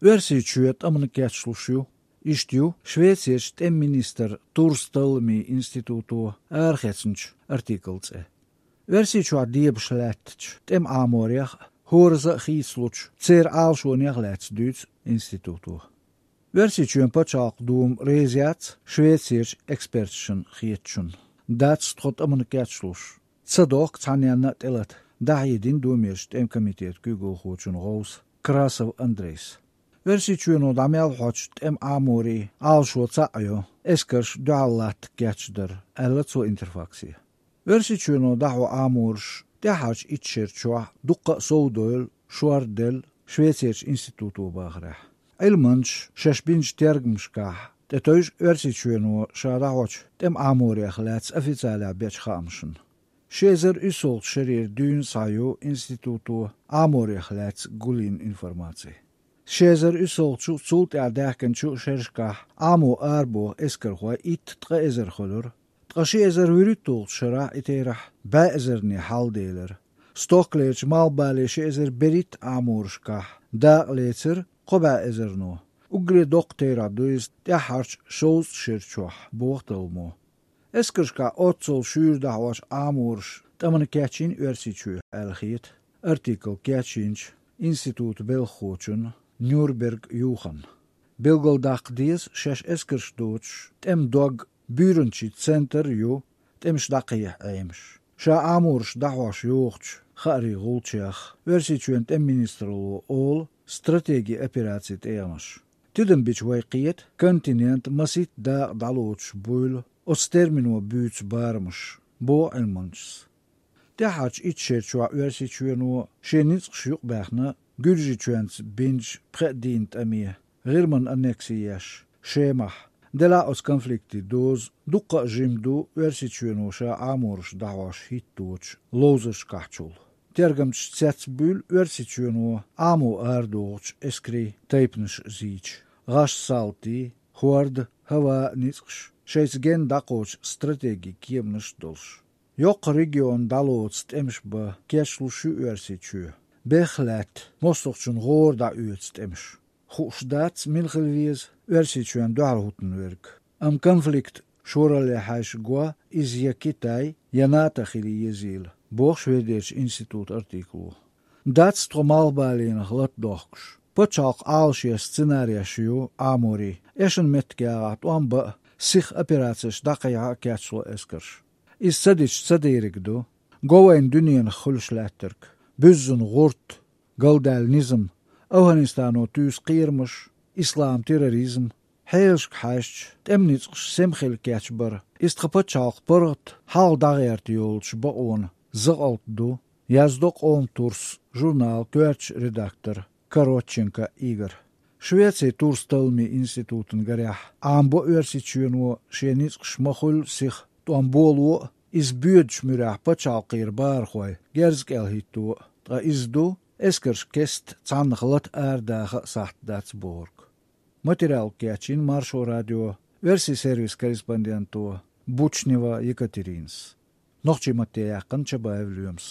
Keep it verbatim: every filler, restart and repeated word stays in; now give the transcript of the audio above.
Оьрсийчоь тӀамна кечлуш ю. Иштта ю Швецерчу тӀеман министран Турсталламийн институто арахецначу артиклан цӀе. Оьрсийчохь дебаш лаьттачу тӀеман Ӏаморех а, хӀоразза а хийцалучу церан Ӏалашонех а лаьцна дуьйцу институто. Оьрсийчоьнан пачхьалкхан дума реза яц Швецерчу эксперташна хетачунна. Дац тхо тӀамна кечлуш. Ца дохку цхьанненна а тӀелата, дӀахьедина Думерчу тӀеман комитетан куьйгалхочун гӀовса Красов Андрейс. Оьрсийчоьно дӀа мел хьочу тӀеман Ӏаморийн Ӏалашо цхьаъ йо, эскарш дуьхьал латта кечдар, аьлла цо Интерфаксе. Оьрсийчоьно дӀахьо Ӏамораш тӀаьххьарчу итт шера чохь дуккха а совдевлла, шорделла Швецерчу институто бахарехь. Ӏилманчаша шаьш бинчу тергамашкахь тӀетевжира Оьрсийчоьно ша дӀахьочу тӀеман Ӏаморех лаьцна официалехь бечу хаамашна. Ши эзар уьссалгӀачу шарера дуьйна схьа ю институто Ӏаморех лаьцна гулйина информаци. Ши эзар уьссалгӀачу, цул тӀаьхьа даьхкинчу шерашкахь Ӏамо арабоху эскархой итт-ткъа эзар хуьлура, ткъа ши эзар вуьрхӀитталгӀачу шарахь и терахь бӀе эзарна хьалделира. Стохкалерчу малхбален ши эзар берхӀитта Ӏаморашкахь дакъа лецира кхо бӀе эзарно. Уггаре доккха терахь ду иза тӀаьххьарчу шовзткъа шера чохь, боху талламо. Эскаршкахь оццул шуьйра дӀахьочу Ӏамораш тӀамна кечйина Оьрсийчоь аьлла хета артикл кечйинчу институтан белхахочунна Нюрнберг Юханна. Билгалдаккха деза, шаьш эскарш доцуш тӀеман дог буьйранчийн центр ю тӀемаш дӀакхехьа Ӏемаш. Ша Ӏамораш дӀахьош йохучу хаарийн гӀулчех Оьрсийчоьнан тӀеман министралло олу стратеги операцийн тӀегӀанаш. Тидам бича вай кхета континентан масийтта дакъа дӀалоцуш буйла оцу термино буьйцу барамаш, боху Ӏилманчас. ТӀаьххьарчу итт шера чохь Оьрсийчоьно шен ницкъаш юкъабаьхна Гуьржийчоьнца бинчу пхи а дийнан тӀаме, ГӀирман аннекси еш, Шемахь. Делахь а оцу конфликтийн доза дуккха а жима ду Оьрсийчоьно ша Ӏамораш дӀахьош хӀитточу ловзаршкахьчул. Тергамчаша цецбуьйлу Оьрсийчоьно Ӏамо арадохучу эскарийн тайпанаш зийча, гӀаш салтий, хӀордан, хӀаваан ницкъаш шайца генна дӀакхочу стратегин кеманаш а долуш. Йоккха регион дӀалоцу тӀемаш бан кечлуш ю Оьрсийчоь. Бехк лаьтта, мостагӀчун гӀора дӀаоьцу тӀемаш. Хууш дац, мила хила веза Оьрсийчоьнна дуьхьал хӀуттун верг. Амма конфликт шоралле хьаьжча го иза я Китай, я НАТО хила езийла, боху Шведерчу институтан артикло. Дац тхо малхбаленах лата дохкуш. Пачхьалкхан Ӏалашъеш, сценареш ю Ӏаморийн, эшна меттиг ягӀахь тӀом бан а, сиха операцеш дӀакхехьа а кечло эскарш. Иза ца дича ца дериг ду. Го вайна дуьненах хуьлуш лаьттарг: буьззина гӀурт, галдаьлла низам, Афганистано туьйсу кхерамаш, ислам терроризм. Хьелашка хьаьжча, тӀеман ницкъаш сема хила кечбар, иза тхан пачхьалкхан паргӀат хьалха дӀагӀерта йолчу бакъонан закъалт ду, яздо «Къоман турс» журналан коьртачу редактора Коротченко Игора. Швецин Турсталламийн институтан гарехь, Ӏамабо Оьрсийчоьно шен ницкъаш ма-хуьллу сиха тӀом боло а, иза боьдучу муьрехь пачхьалкхера бахархой герз кӀел хӀитто а, ткъа иза ду, эскарш кеста цхьаннах лата арадаха а сахьт дац бохург. Материал кечйина Маршо радион оьрсийн сервисан корреспонденто Бучнева Екатеринас. Нохчийн матте яьккхина Чабаев Лоьмас.